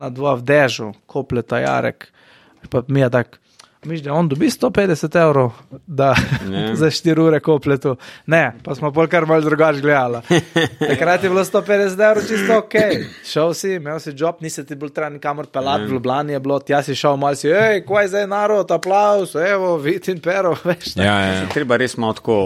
na dva v dežu, kopleta Jarek, pa mi je tak, miš, da on dobi 150 evrov, da za 4 ure kopletu. Ne, pa smo pol kar malo drugač gledala. Takrat je bilo 150 evrov čisto ok. Šel si, imel si job, nisi ti bil treba nikamor pelati, v Ljubljani je bilo, tja si šel malo si, kaj zdaj narod, aplauz, evo, Vitin Pero, veš. Treba res malo tako,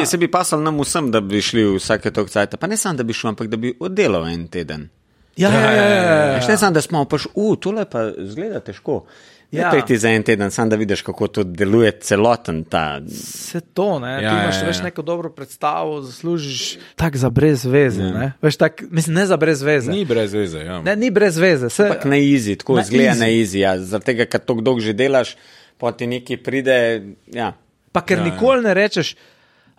se bi pasal nam vsem, da bi šli vsake tok cajta, pa ne samo, da bi šel, ampak da bi oddelal en teden. Ne samo, da smo paš, tole pa zgleda težko. Priti za en teden, sam da vidiš, kako to deluje celoten ta... Se to, ne? Ti imaš veš neko dobro predstavo, zaslužiš tak za brez veze, ne? Veš tak, mislim, ne za brez veze. Ni brez veze, ja. Ne, ni brez veze. Ampak na easy, tako zgleda na easy, ja. Zaradi tega, ker toliko dolgo že delaš, pa ti neki pride, ja. Pa ker nikoli ne rečeš,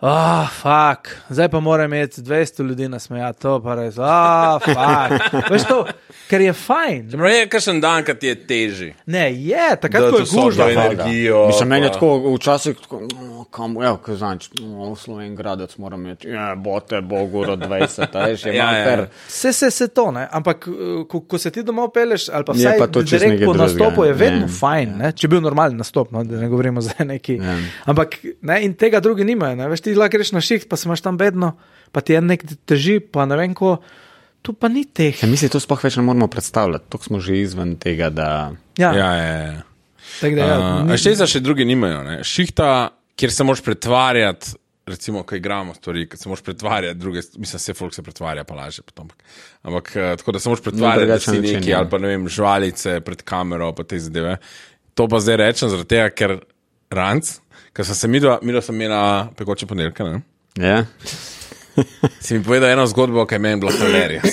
fuck, zdaj pa moram imeti 200 ljudi nasmejati, to pa res, fuck. Veš to, ker je fajn. Zamre je kakšen dan, kad ti je teži. Ne, je, takrat, ko je gužva. Energijo. Mislim, meni je tako včasih, kam, kaj znač, v Slovengradec moram imeti, bote, Boguro 20, veš, je malo fer. Se to, ne, ampak ko se ti domov peleš, ali pa vsaj direkt po nastopu je vedno fajn, ne, če bil normalen nastop, no, da ne govorimo za neki, ampak, ne, in tega drugi nimajo, ne, veš, ti lahko greš na šiht, pa se imaš tam bedno, pa ti je nek teži, pa ne vem ko, tu pa ni teh. Ja, mislim, to sploh več ne moramo predstavljati, tok smo že izven tega, da... Ja. Še za še drugi nimajo, ne. Šihta, kjer se moraš pretvarjati, recimo, ko igramo stvari, kad se moraš pretvarjati druge, mislim, vse folk se pretvarja, pa laže potom. Ampak tako, da se moraš pretvarjati, da si neki, ali pa ne vem, žvalice pred kamero, pa te zadeve. To pa zdaj rečem, zaradi tega, ker ranc, ker sem se midva sem imela pekoče ponedeljka, ne? Ja. Si mi povedal eno zgodbo, kaj meni bilo hilarija.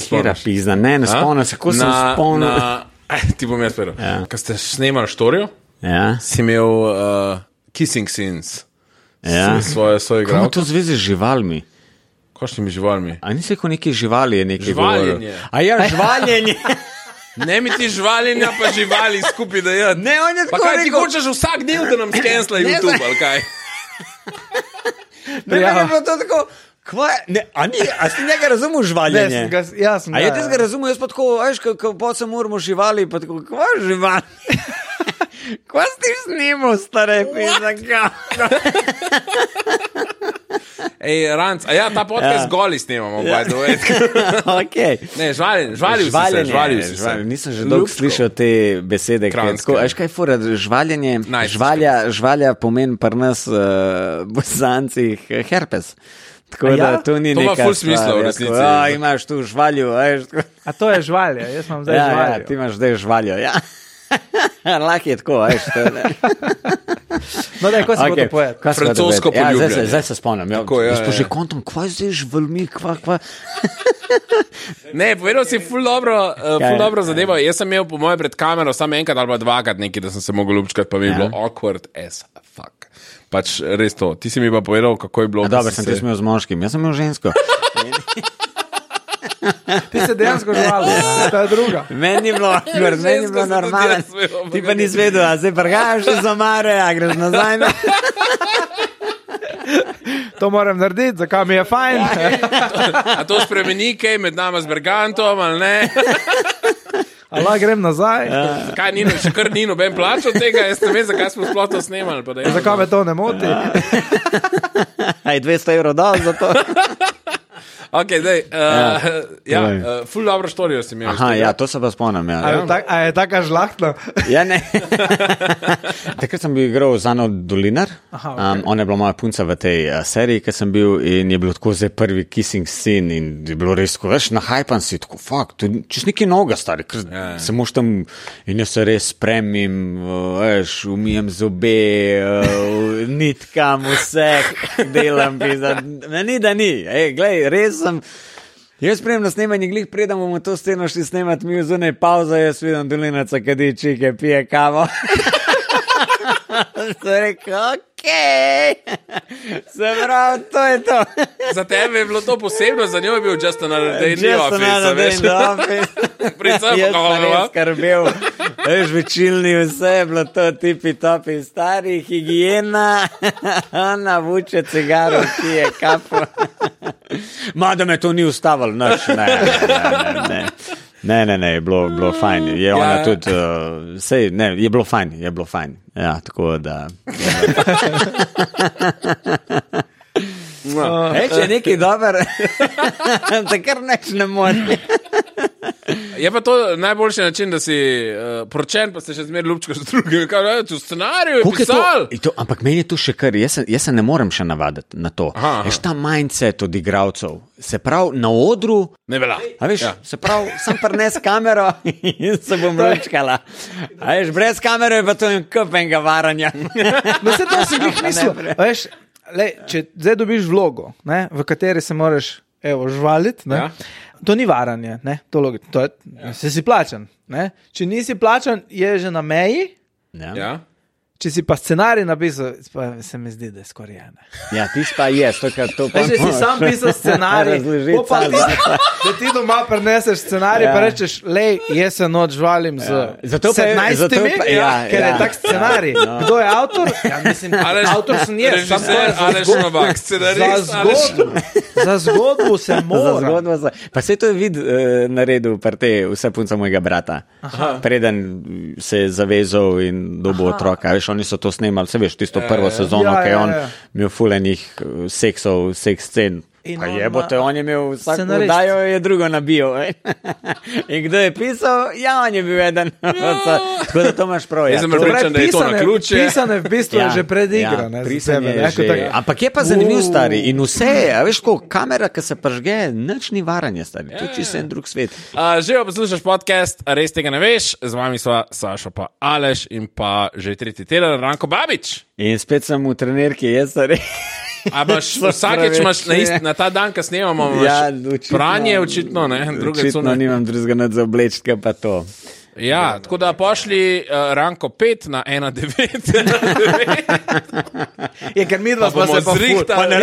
Kjera pizda, ne spomnim se, ko sem spomnil. Ti bom jaz povedal. Ja. Ko ste snemali štorijo, si imel kissing scenes svoje igralke. Kako to zvezi z živalmi? Kakšnimi živalmi? A nisi rekel neki živali je neki žvaljenje. A ja, žvaljenje. Ne mi ti žvaljenja, pa živali skupaj da je. Ne, on je tako pa kaj rekel... ti hočeš vsak del, da nam skensla YouTube, ali kaj? Ne, je bilo to tako... A si njega razumel žvaljenje? Jasno. A je ti ga razumel, jaz pa tako, veš, kako se moramo živali, pa tako, kva živali? Kva si ti snimal, stare pizaka? Ej, Ranc, a ja, ta podcast goli snimamo, by the way. Okay. Ne, žvalil si se. Nisem že dolgo slišal te besede. Veš kaj fora, žvaljenje, žvalja pomeni pri nas bosancih herpes. Tako da to ni neka stvar. To ima ful smisla v resnici. Imaš tu žvalju. A to je žvalja, jaz imam zdaj žvaljo. Ja, ti imaš zdaj žvaljo, ja. Lahko je tako, veš. No, da, ko se bo to povedal? Francosko poljubljanje. Zdaj se spomnim. Jaz pa že kontom, kva zdaj žvalmi, kva. Ne, povedal si ful dobro zadevo. Jaz sem imel po moje pred kamero samo enkrat ali pa dvakrat nekaj, da sem se mogel lupčkati, pa mi je bilo awkward as fuck. Pač res to. Ti si mi pa povedal, kako je bilo. Dobro, sem ti smel z moškim. Jaz sem imel žensko. Ti se dejansko žvali, ta je druga. Meni je bilo normalno. Ti pa nisi vedel, a zdaj prgajaš za Mare, a greš nazaj. To moram narediti, zakaj mi je fajn. A to spremeni kaj med nama z Bergantom, ali ne? Allah, grem nazaj. Kaj, še kar ni noben plač od tega, jaz ne vem, zakaj smo sploh to snemali. Zakaj me to ne moti? Aj 200 evrov dal za to. Ok, daj, ful dobro štorijo si imel. Aha, ja, to se pa spomnim, ja. A je taka žlahtna? Ja, ne. Takrat sem bil igral z Ano Dolinar, ona je bila moja punca v tej seriji, ki sem bil in je bilo tako zdaj prvi kissing scene in je bilo res tako, veš, nahajpan si, tako, fuck, čez neki noga, stari, ker se moš tam in jaz se res spremim, veš, umijem zobe, nitkam, vse delam, ni da ni, glej, res jaz spremem na snemanje, glih predam bomo to sceno šli snemati, mi v zunaj pauza, jaz vidim Dolinaca, kadi čike, pije kavo. Sem rekel, okej. Se pravi, to je to. Za tebe je bilo to posebno, za njo je bil just another day in the office. Just another day in the office. Jaz pa res skrbel. Veš, večilni vse je bilo to tipi-topi stari, higijena, navuče cigaro, ki je kapo. Ma, da me to ni ustavilo, ne. Ne, je bilo fajn. Je ona tudi, je bilo fajn. Ja, tako da. Če je nekaj dober, takrat neč ne more. Je pa to najboljši način, da si poročen, pa ste še zmeraj ljubčko z drugim. V scenariju je pisal. Ampak meni je to še kar, jaz se ne morem še navaditi na to. Veš, ta mindset od igralcev, se pravi na odru, ne velja. A veš, se pravi, sem prines kamero in se bom lučkala. A veš, brez kamere je pa to kupenega varanja. No se to si bih mislil. Veš, če zdaj dobiš vlogo, ne, v kateri se moraš žvaliti, ne, to ni varanje, ne, to si plačan. Ne. Če nisi plačan, je že na meji. Ja. Če si pa scenarij napisal, pa se mi zdi, da je skoraj ena. Ja, ti pa je, to pa če si sam pisal scenarij, da ti doma prineseš scenarij, pa rečeš, jaz se noč žvalim z 17, ker je tak scenarij. Kdo je avtor? Ja, mislim, avtor sem jaz. Režiser, Aleš Novak, scenarist. Za zgodbo se mora. Pa se to je naredil vse punca mojega brata. Preden se je zavezal in dobil otroka. Veš, oni so to snemali, se veš, tisto prvo sezono, ki je on imel fulenih seks scen. Pa jebote, on je imel vsako oddajo, je drugo nabijo. In kdo je pisal? Ja, on je bil eden. Tako da to imaš prav. Jaz sem pričan, da je to na ključe. Pisane v bistvu je že predigra. Ampak je pa zanimiv, stari. In vse je, a veš, ko kamera, ki se pržge, nič ni varanje, stari. To je čisto en drug svet. Že poslušaš podcast, res tega ne veš. Z vami sva Sašo pa Aleš in pa že tretji teden Ranko Babič. In spet sem v trenerki, jaz stari. Vsakeč imaš na ta dan, ko snemamo, pranje očitno, ne? Očitno nimam drugega nad za oblečka, pa to. Ja, tako da pošli Ranko 5 na 1.9. Je, ker mi dva smo se pa zrihtali. Pa ne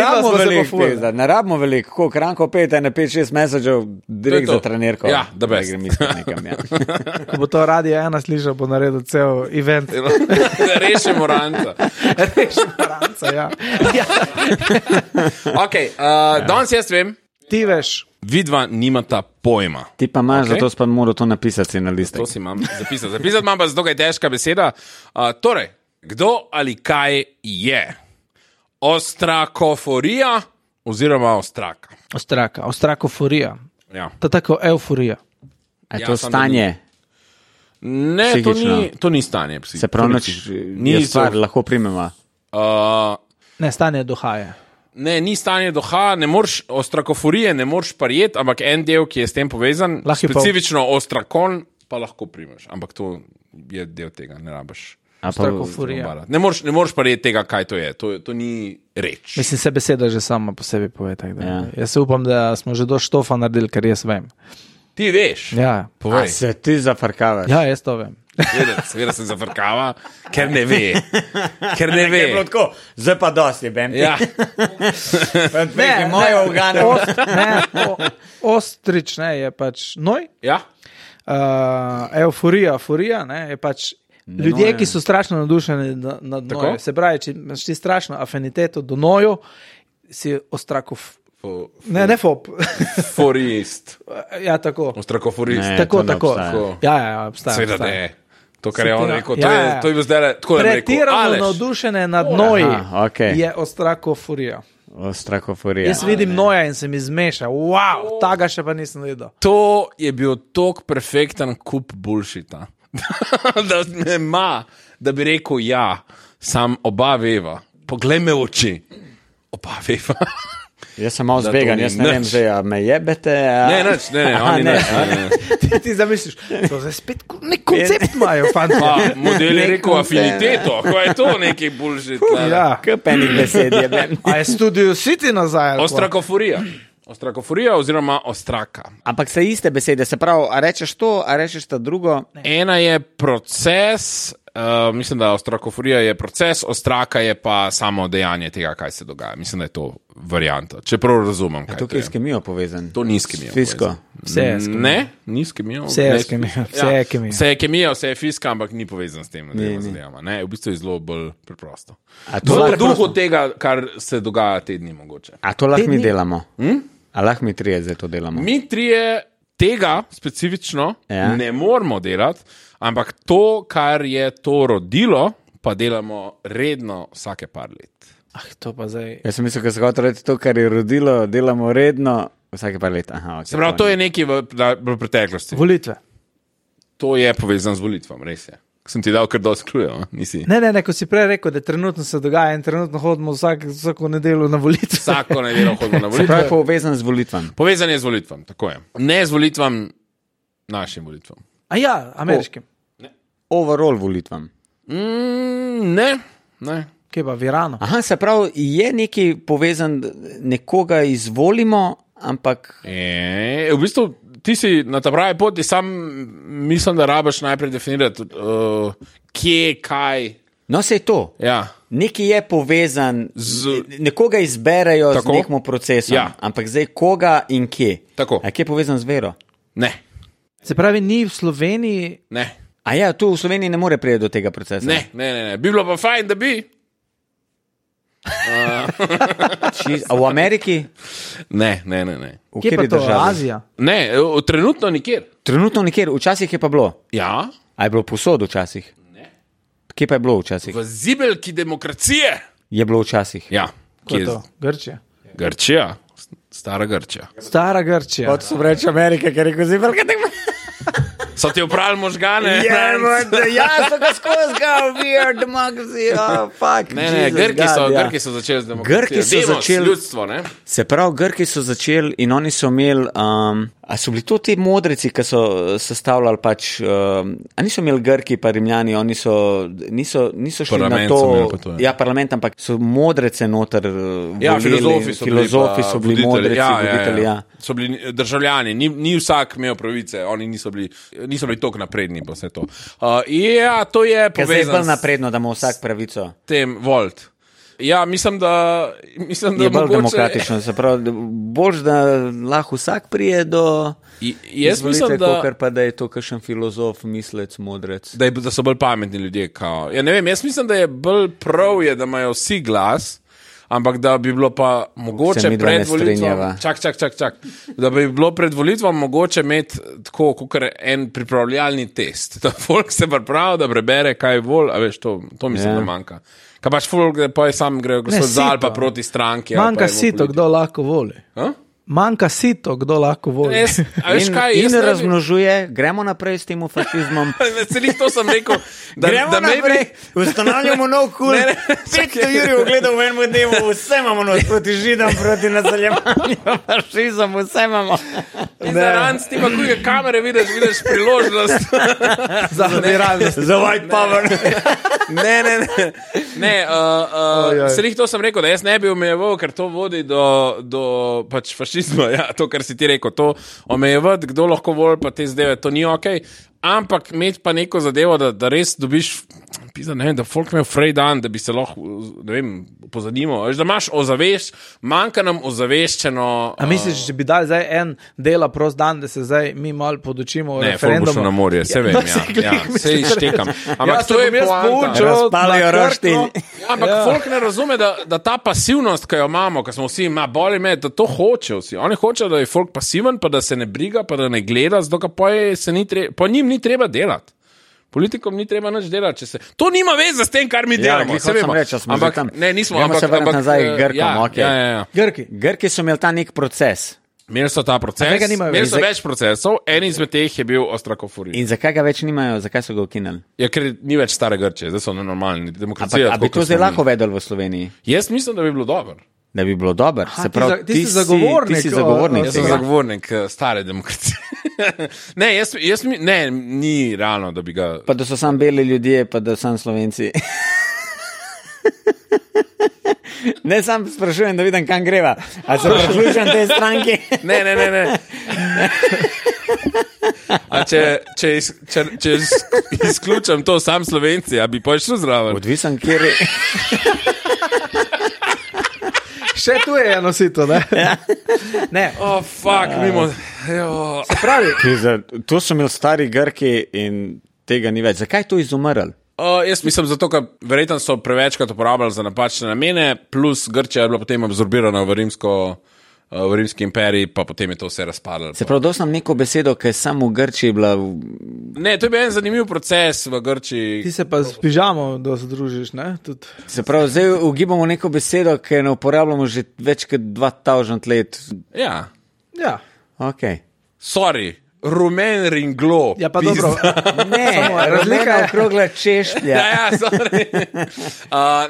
rabimo veliko, koliko Ranko 5, ne 5-6 mesečev, direkt za trenerko. Ja, da best. Ko bo to radio 1 slišal, bo naredil cel event. Rešimo Ranca. Ja. Ok, danes jaz vem. Ti veš. Vidva nimata pojma. Ti pa imaš, zato pa moral to napisati na listek. To si imam zapisati. Zapisati imam pa zato, kaj je težka beseda. Torej, kdo ali kaj je ostrakoforija oziroma ostraka? Ostrakoforija. Ja. To je tako euforija. A je to stanje? Ne, to ni stanje. Se pravi, ni stvar, lahko primemo. Ne, stanje duha. Ne, ni stanje duha, ostrakoforije ne moreš prijeti, ampak en del, ki je s tem povezan, specifično ostrakon, pa lahko primeš. Ampak to je del tega, ne rabiš. Ostrakoforija. Ne moreš prijeti tega, kaj to je. To ni reč. Mislim, se beseda že sama po sebi pove. Ja. Jaz se upam, da smo že do štofa naredili, kar jaz vem. Ti veš? Ja. A se ti zafrkavaš? Ja, jaz to vem. Seveda se zafrkava, ker ne ve. Ker ne ve. Zdaj pa dosti, bem. Ja. Ne, moje ugane. Ostrič, ne, je pač noj. Ja. Euforija, je pač ljudje, ki so strašno nadušeni nad nojo. Se pravi, če imaš ti strašno afiniteto do nojo, si ostrakov. Ne fob. Forist. Ja, tako. Ostrakoforist. Tako. Ja, obstaja. Seveda ne. To, kar je on rekel, to je bil zdaj tako rekel. Pretirano navdušene nad noji je ostrakoforija. Ostrakoforija. Jaz vidim noja in se mi zmeša. Wow, taga še pa nisem videl. To je bil tok perfekten kup bullshita. Da ne ima, da bi rekel ja, sam oba veva. Poglej me v oči. Oba veva. Jaz sem malo zbegan, jaz ne vem, že me jebete. Ne, Ti zamisliš, to je spet nek koncept imajo, fanta. Model je rekel afiniteto, ko je to neki bullshit. Ja, kepenih besed jebem. A je Studio City nazaj? Ostrakoforija oziroma ostraka. Ampak se iste besede, se pravi, a rečeš to, a rečeš ta drugo? Ena je proces, mislim, da ostrakoforija je proces, ostraka je pa samo dejanje tega, kaj se dogaja. Mislim, da je to varianta. Čeprav razumem, kaj to je. To je s kemijo povezan? To ni s kemijo povezan. Vse je s kemijo. Ne, ni s kemijo. Vse je s kemijo. Vse je kemija, vse je fiska, ampak ni povezan s tem. Ne, v bistvu je zelo bolj preprosto. V duhu tega, kar se dogaja te dni mogoče. A to lahko mi delamo? A lahko mi trije zdaj to delamo? Mi trije tega specifično ne moramo delati, ampak to, kar je to rodilo, pa delamo redno vsake par let. To pa zdaj. Jaz sem mislil, da se hoče reči to, kar je rodilo, delamo redno vsake par let. Aha, okay, se pravi, to je nekaj v preteklosti. Volitve. To je povezano z volitvam, res je. Sem ti dal kar dosti klujev, nisi? Ne, ko si prej rekel, da trenutno se dogaja in trenutno hodimo vsako nedeljo na volitve. Vsako nedeljo hodimo na volitve. Se pravi, povezan z volitvam. Povezan je z volitvam, tako je. Ne z volitvam, našim volitvam. A ja, ameriškim. Overall volitvam. Ne. Kje pa, v Iranu? Aha, se pravi, je nekaj povezan, nekoga izvolimo, ampak... V bistvu, ti si na ta pravi poti, sam mislim, da rabaš najprej definirati, kje, kaj. No, se je to. Ja. Nekaj je povezan, nekoga izberejo z nekim procesom, ampak zdaj koga in kje. Tako. A kje je povezan z vero? Ne. Se pravi, ni v Sloveniji... Ne. A ja, tu v Sloveniji ne more priti do tega procesa? Ne. Bi bilo pa fajn, da bi... A v Ameriki? Ne. V kje pa to? Azija? Ne, trenutno nikjer. Trenutno nikjer, včasih je pa bilo. Ja. A je bilo posod včasih? Ne. Kje pa je bilo včasih? V zibelki demokracije. Je bilo včasih. Ja. Kje je to? Grčija? Grčija. Stara Grčija. Stara Grčija. Kot so reči Amerika, ker je rekel zibelka demokracije. So ti upravili možgane? So ga skozi ga, we are democracy, fuck. Ne, Grki so začeli z demokracijo. Ljudstvo, ne? Se pravi, Grki so začeli in oni so imeli, a so bili to ti modrici, ki so sestavljali pač, a niso imeli Grki pa Rimljani, oni niso šli parlament na to, to ja, parlament, ampak so modrece noter volili. Ja, filozofi so bili modrici, voditelji, ja. So bili državljani, ni vsak imel pravice, oni niso bili toliko napredni pa vse to. Ja, to je povezano. Kaj je bolj napredno, da ima vsak pravico? Tem volt. Ja, mislim, da je bolj demokratično, se pravi, bolj, da lahko vsak prije do izvolitve, kakor pa da je to kakšen filozof, mislec, modrec. Da so bolj pametni ljudje. Ja, ne vem, jaz mislim, da je bolj prav, da imajo vsi glas, ampak da bi bilo pa mogoče pred volitvom... Čak. Da bi bilo pred volitvom mogoče imeti tako, kakor en pripravljalni test. Da folk se pripravi, da prebere, kaj vol, a veš, to mislim, da manjka. Kaj pač folk, pa je sam grejo gospod Zal pa proti stranki. Manjka sito, kdo lahko voli. Manjka sito, kdo lahko voli. In razmnožuje, gremo naprej s tem fašizmom. Celih to sem rekel. Gremo naprej, ustanavljamo nov kult. 500 jurjev gledal v enem dnevu, vse imamo nos proti židom, proti nadaljevanju, fašizom, vse imamo. Zaranc, ti pa kujega kamere vidiš priložnost. Za realnost. Za white power. Ne, celih to sem rekel, da jaz ne bi omejeval, ker to vodi do pač fašizma. Ja, to, kar si ti rekel, to omejevati, kdo lahko voli, pa te zdaj, to ni okej. Ampak imeti pa neko zadevo, da res dobiš, da folk imel frej dan, da bi se lahko, ne vem, pozanimal. Da imaš ozavešč, manjka nam ozaveščeno... A misliš, če bi dali zdaj en dela prost dan, da se zdaj mi malo podučimo o referendumu? Ne, folk bo šel na morje, se vem, se ištekam. Ampak to je poanta. Razpalijo roštilj. Ampak folk ne razume, da ta pasivnost, ki jo imamo, ko smo vsi, boli me, da to hočejo vsi. Oni hočejo, da je folk pasiven, pa da se ne briga, pa da ne gleda, zato ka po njim ni treba delati. Politikom ni treba nič delati. To nima veze s tem, kar mi delamo. Ampak ne, nismo. Gremo se vrniti nazaj Grkom. Grki so imeli ta nek proces. Imeli so ta proces, imeli so več procesov, en izmed teh je bil ostrakoforij. In zakaj ga več nimajo, zakaj so ga ukinili? Ja, ker ni več stare Grčije, zdaj so normalni. Demokracija. Ampak bi to zdaj lahko vedel v Sloveniji? Jaz mislim, da bi bilo dobro. Da bi bilo dobro. Se pravi, ti si zagovornik. Ti si zagovornik. Jaz sem zagovornik stare demokracije. Ne, ni realno, da bi ga... Pa da so sam beli ljudje, pa da sam Slovenci. Ne, sam sprašujem, da vidim, kam greva. A se priključujem tej stranki? Ne. A če izključam to sam Slovenci, a bi pošel zraven? Odvisen, kjer je... Še tu je eno sito, ne? Ne. Oh, fuck, mimo. Se pravi. To so imeli stari Grki in tega ni več. Zakaj to izumrl? Jaz mislim zato, ker verjetno so prevečkrat uporabljali za napačne namene, plus Grčija je bila potem absorbirana v v Rimski imperiji, pa potem je to vse razpadlo. Se pravi, dosam neko besedo, ki je samo v Grčiji bila... Ne, to je bil en zanimiv proces v Grčiji. Ti se pa s pižamo združiš, ne? Se pravi, zdaj ugibamo neko besedo, ki ne uporabljamo že več kot 2000 let. Ja. Ok. Sorry. Rumen ringlo. Ja, pa dobro. Ne, razlika je okrogla češplja. Sorry.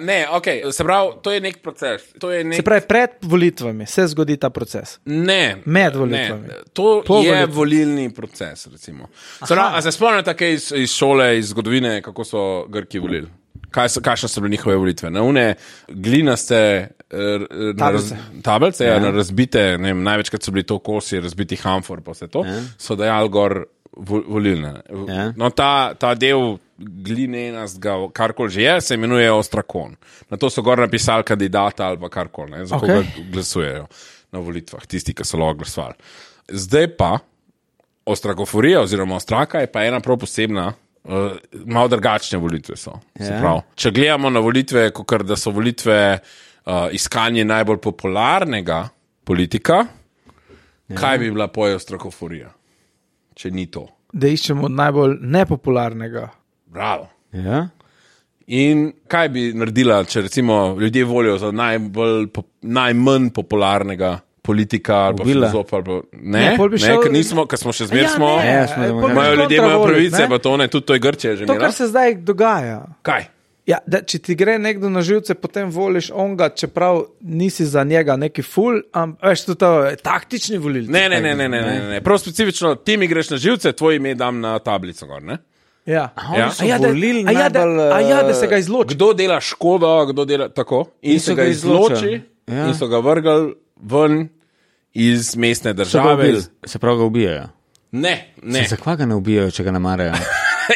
Ne, ok, se pravi, to je nek proces. Se pravi, pred volitvami se zgodi ta proces. Ne. Med volitvami. Ne. To je volilni proces, recimo. A se spomnite kaj iz šole, iz zgodovine, kako so Grki volili? Kakšne so bile njihove volitve? Na une glinaste tablice, na razbite, ne vem, največkrat so bili to kosi razbitih amfor, pa vse to, so dajali gor volilne. No, ta del glinenastga, karkoli že je, se imenuje ostrakon. Na to so gor napisali kandidata ali pa karkoli, za koga glasujejo na volitvah, tisti, ki so lahko glasovali. Zdaj pa ostrakoforija oziroma ostraka je pa ena prav posebna, malo drugačne volitve so. Če gledamo na volitve, kakor da so volitve iskanje najbolj popularnega politika, kaj bi bila poje ostrakoforija, če ni to? Da iščemo najbolj nepopularnega. Bravo. In kaj bi naredila, če recimo ljudje volijo za najmanj popularnega politika ali pa filozofa ali pa... Ne, ker nismo, ker smo še zmer smo... Imajo ljudje, imajo pravice, pa to ne, tudi to je Grčija že imela. To, kar se zdaj dogaja. Kaj? Ja, da, če ti gre nekdo na živce, potem voliš onga, čeprav nisi za njega neki ful, veš, to je taktični volilci. Ne. Prav specifično, ti mi greš na živce, tvoje ime dam na tablico gor, ne? Ja. Da se ga izloči. Kdo dela škodo, kdo dela tako, in se ga izloči, in so ga vrgali ven iz mestne države. Se pravi, ga ubijajo? Ne. Zakaj ga ne ubijajo, če ga ne marajo?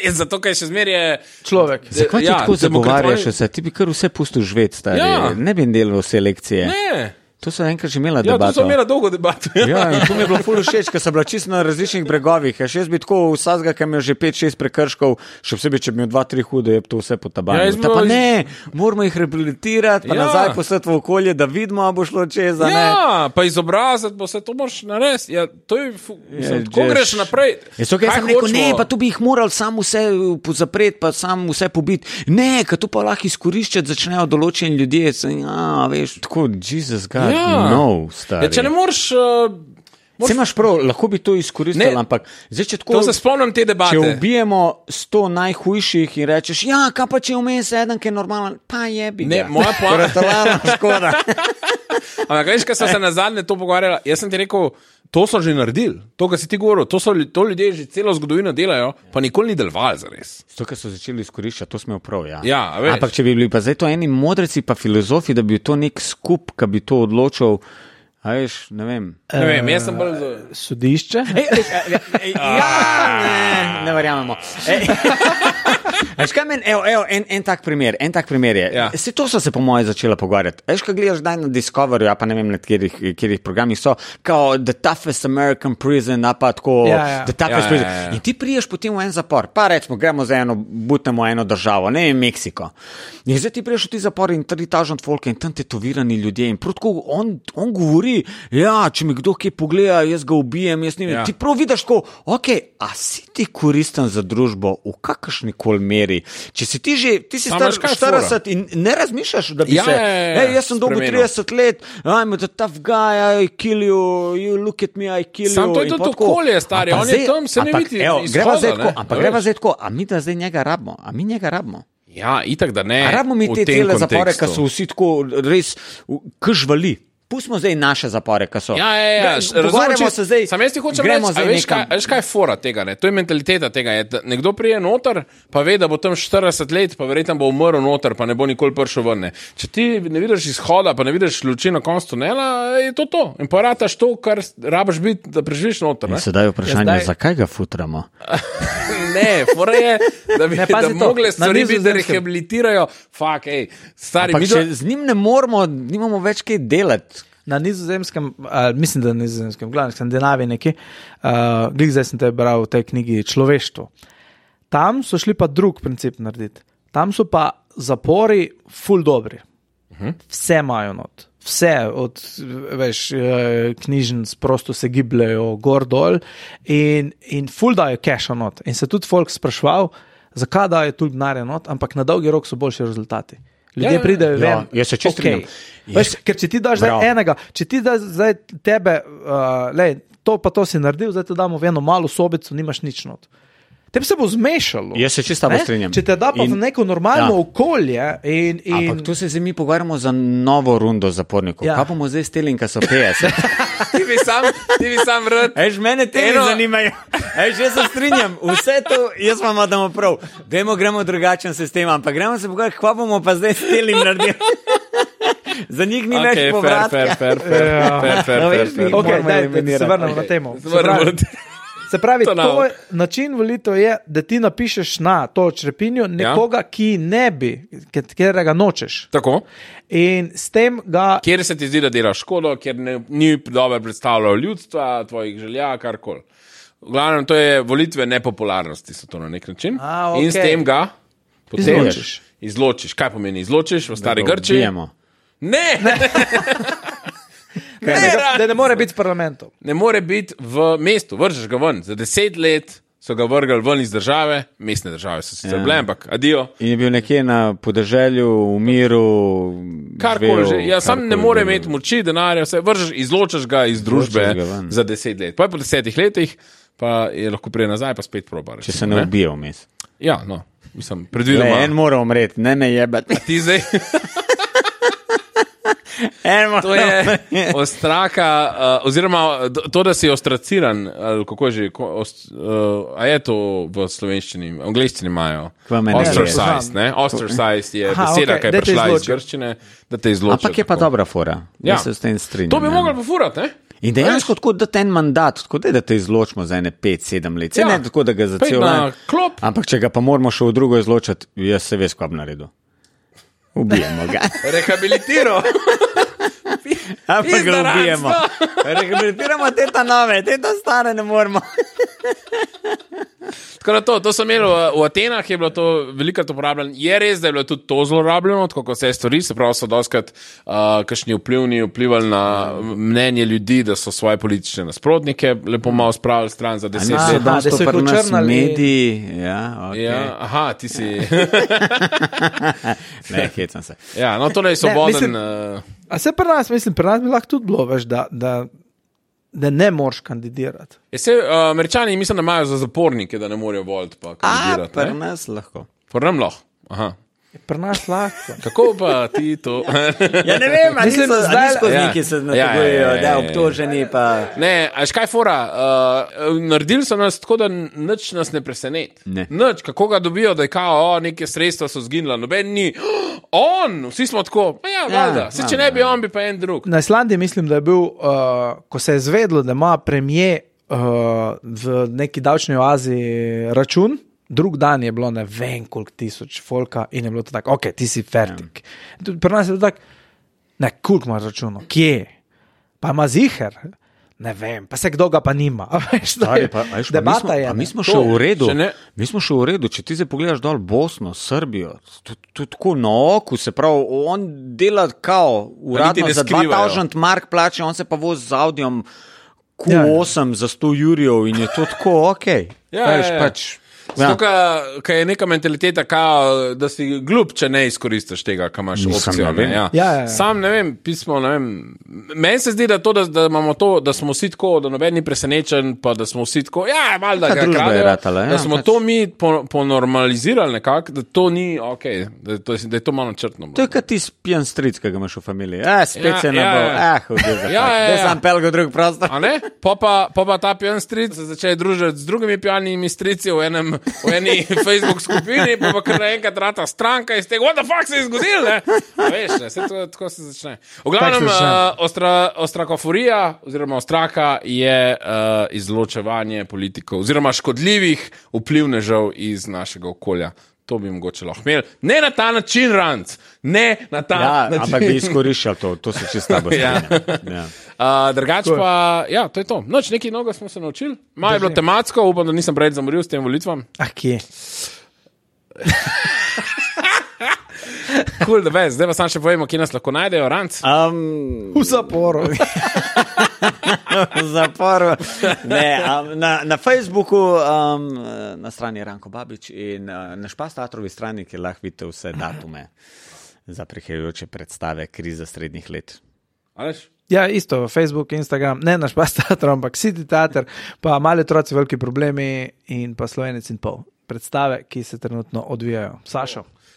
Zato, kaj še zmer je človek. Zakaj ti tako zagovarjaš vse? Ti bi kar vse pustil živeti, stari. Ne bi delal vse lekcije. Ne. To so enkrat že imela debato. Ja, to so imela dolgo debato. Ja, in to mi je bilo ful všeč, ker so bila čisto na različnih bregovih. Še jaz bi tako vsazga, ki mi je že 5-6 prekrškov, še vsebi, če bi imel 2-3 hude, je to vse potabanilo. Ta pa ne, moramo jih rehabilitirati, pa nazaj poslati v okolje, da vidimo, a bo šlo čez, a ne. Ja, pa izobraziti, bo se to moraš narediti. Ja, to je, tako greš naprej. Jaz sem rekel, ne, pa tu bi jih moral sam vse zapreti, pa sam vse pobiti. Ne, ker tu pa lahko izkoriščati začnejo določeni ljudje. Ja, veš, tako, Jesus God. No, stari. Če ne moreš... Se imaš prav, lahko bi to izkoristili, ampak zdaj, če tako... To se spomnim te debate. Če ubijemo 100 najhujših in rečeš, ja, kaj pa če vmes eden, ki je normalen, pa jebi ga. Ne, moja poanta... škoda. Ampak veš, kaj so se nazadnje to pogovarjala, jaz sem ti rekel, to so že naredili, to, kar si ti govoril, to ljudje že celo zgodovino delajo, pa nikoli ni delovali zares. To, kar so začeli izkoriščati, to smo prav, ja. Ja, veš. Ampak če bi bili pa zdaj to eni modreci pa filozofi, da bi to nek skup, ki bi to odločil, a veš, ne vem. Ne vem, jaz sem bolj... Sodišče? Ne verjamemo. Veš kaj meni, en tak primer je. Ja. To so se po moje začela pogovarjati. Veš kaj gledaš daj na Discovery, pa ne vem, na kjerih programih so, kao The Toughest American Prison, pa tako, The Toughest Prison. In ti priješ potem v en zapor, pa rečemo, gremo za butnemo eno državo, ne vem, Meksiko. In zdaj ti priješ v ti zapor in 3000 folka in tam tetovirani ljudje in protko on govori, ja, če mi kdo kje pogleda, jaz ga ubijem, jaz ne vem. Ti prav vidiš tako, ok, a si ti koristen za družbo v kakršnikoli meri? Če si ti si star 40 in ne razmišljaš, da bi jaz sem dolgo 30 let, I'm a tough guy, I kill you look at me, I kill you. Sam to je tudi okolje, stari, on je tam, se ne vidi izhoda. Ampak greva zdaj tako, a mi da zdaj njega rabimo, a mi njega rabimo? Ja, itak da ne. A rabimo mi te cele zapore, ki so vsi tako res kžvali. Pustimo zdaj naše zapore, ki so. Ja. Pogovarjamo se zdaj. Sam jaz ti hočem reči, veš kaj je fora tega, ne? To je mentaliteta tega. Nekdo prije noter, pa ve, da bo tam 40 let, pa verjetno bo umrl noter, pa ne bo nikoli prišel ven. Če ti ne vidiš izhoda, pa ne vidiš luči na koncu tunela, je to. In porataš to, kar rabiš biti, da preživiš noter. In sedaj vprašanje, zakaj ga futramo? Ne, fora je, da bi mogli stvari biti, da rehabilitirajo. Fuck, stari. Ampak če z njim ne moramo, nimamo več kaj delati. Na Nizozemskem, mislim, da na Nizozemskem, glavno, Skandinaviji neki, zdaj sem te bral v tej knjigi Človeštvo. Tam so šli pa drug princip narediti. Tam so pa zapori ful dobri. Vse imajo not. vse od knjižnic prosto se gibljajo gor dol in ful dajo cash not. In se tudi folk spraševal, zakaj dajo toliko denarja not, ampak na dolgi rok so boljši rezultati. Ljudje pridejo ven. Jaz se čisto strinjam. Ker če ti daš zdaj enega, če ti daš zdaj tebe, to pa to si naredil, zdaj te damo v eno malo sobico, nimaš nič not. Tebi se bo zmešalo. Jaz se čisto strinjam. Če te da pa v neko normalno okolje Ampak tu se zdaj mi pogovarjamo za novo rundo zapornikov. Kaj bomo zdaj steli, ko so 50? Ti bi sam rad. Mene teme zanimajo. Jaz se strinjam. Vse to, jaz vam damo prav. Gremo drugačen sistem, ampak gremo se pogovarjati, kaj bomo pa zdaj steli naredili. Za njih ni več povratka. Fair. Ok, se vrnemo na temo. Se pravi, to način volitev je, da ti napišeš na to črepinjo nekoga, ki ne bi, katerega nočeš. Tako. In s tem ga... Kjer se ti zdi, da delaš škodo, kjer ni dobro predstavljalo ljudstva, tvojih želja, karkoli. V glavnem, to je volitve nepopularnosti, so to na nek način. Okay. In s tem ga izločiš. Kaj pomeni izločiš v stari Grčiji? Ne! Da ne more biti v parlamentu. Ne more biti v mestu, vržeš ga ven. Za 10 let so ga vrgali ven iz države, mestne države so sicer bile, ampak adijo. In je bil nekje na podeželju, v miru, karkoli že. Ja, sam ne more imeti moči, denarja, vse vržeš, izločaš ga iz družbe za 10 let. Pa po 10 letih pa je lahko prije nazaj, pa spet proba. Če se ne ubije vmes. Ja, no, mislim, predvidoma. En mora umreti, ne me jebati. Ti zdaj... To je ostraka, oziroma to, da si ostraciran, ali kako je že, a je to v slovenščini, v angleščini imajo? Ostracized, ne? Ostracized je beseda, ki je prišla iz grščine, da te izločijo. Ampak je pa dobra fora, da se s tem strinjam. To bi mogli pofurati, ne? In dejansko tako, da ten mandat, tako da te izločimo za ene 5-7 let. Se ne tako, da ga za cel let. Ampak če ga pa moramo še v drugo izločati, jaz se veš, kaj bi naredil. Ubijemo ga. Rehabilitiro. Ampak ga ubijemo. Rehabilitiramo te ta nove, te ta stare ne moramo. Tako da to sem imel v Atenah, je bilo to velikrat uporabljeno. Je res, da je bilo tudi to zlorabljeno, tako kot vse stvari, se pravi, so doskrat kakšni vplivali na mnenje ljudi, da so svoje politične nasprotnike lepo malo spravili stran za 10 let. Da so pri nas mediji. Ja, okay. Ja, aha, ti si... Ne, hecam se. Ja, no to je svoboden... A se pri nas bi lahko tudi bilo, veš, da ne moreš kandidirati. Američani mislim, da imajo za zapornike, da ne morejo voliti pa kandidirati. Pri nas lahko. Pri nam lahko, aha. Pri nas lahko. Kako pa ti to? Ja ne vem, a niso skozniki se nategujejo, da obtoženi pa... Ne, a škaj fora, naredili so nas tako, da nič nas ne preseneti. Nič, kako ga dobijo, da je kao, neke sredstva so zginila, noben ni, vsi smo tako, valjda, če ne bi on, bi pa en drug. Na Islandiji mislim, da je bil, ko se je zvedlo, da ima premier v neki davčni oazi račun, drug dan je bilo ne vem koliko tisoč folka in je bilo to tako, ok, ti si fertik. Pri nas je bilo tako, ne, koliko imaš računov, kje? Pa ima ziher? Ne vem, pa se kdo ga pa nima. Debata je. Mi smo še v redu. Mi smo še v redu, če ti se pogledaš dol Bosno, Srbijo, to tako na oku, se pravi, on dela kao, uradno za 2000 mark plače, on se pa vozi z Audijom Q8 za 100 jurjev in je to tako, ok. Pač... Zato, kaj je neka mentaliteta, da si glup, če ne izkoristiš tega, kaj imaš opcijo. Sam ne vem, pismo, ne vem. Meni se zdi, da imamo to, da smo vsi tako, da noben ni presenečen, pa da smo vsi tako, valjda ga kradejo, da smo to mi ponormalizirali nekako, da to ni ok, da je to malo črtno. To je kot ti spijan stric, ki ga imaš v familiji. Spet se ne bo, da sam pel ga drug prostor. A ne? Pa ta pijan stric se začeje družiti z drugimi pijanimi strici v eni Facebook skupini, pa kar naenkrat rata stranka iz tega, what the fuck se je zgodil, ne? Veš, ne, tako se začne. V glavnem, ostrakoforija, oziroma ostraka je izločevanje politikov, oziroma škodljivih vplivnežev iz našega okolja. To bi mogoče lahko imeli. Ne na ta način, Ranc. Ne na ta način. Ampak bi izkoriščal to se čisto bo strinjal. Drugač pa, to je to. Noč, nekaj noga smo se naučili. Malo je bilo tematsko, upam, da nisem preveč zamoril s tem volitvam. Kje? Cool, da veš, zdaj pa sam še povemo, kje nas lahko najdejo, Ranc. V zaporu. V zaporu. Ne, na Facebooku, na strani Ranko Babič in na Špas teatrovi strani, kjer lahko vidite vse datume za prihajajoče predstave Kriza srednjih let. Aleš? Ja, isto, Facebook, Instagram, ne na Špas teatru, ampak City teater, pa Mali otroci, veliki problemi in pa Slovenec in pol. Predstave, ki se trenutno odvijajo.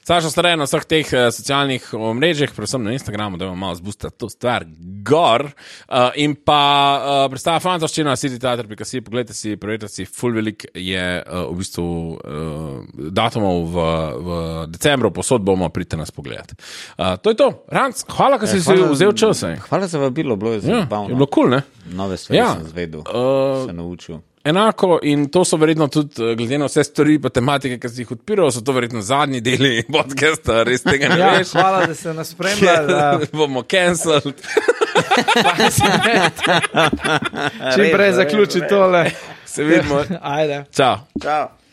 Sašo Stare na vseh teh socialnih omrežjih, predvsem na Instagramu, da imamo malo zboostati to stvar gor. In pa predstava fantastična, City Theater.si, pogledajte si, preverite si, full velik je v bistvu datumov v decembru, posod bomo, pridite nas pogledati. To je to. Ranc, hvala, ker si vzel čas. Hvala za vabilo, bilo je zelo zabavno. Je bilo cool, ne? Nove stvari sem zvedel, se naučil. Enako in to so verjetno tudi, glede na vse stvari pa tematike, ki si jih odpiral, so to verjetno zadnji deli podcasta, res tega ne veš. Hvala, da ste nas spremljali. Bomo cancelled. Čim prej zaključi tole. Se vidimo. Ajde. Čau. Čau.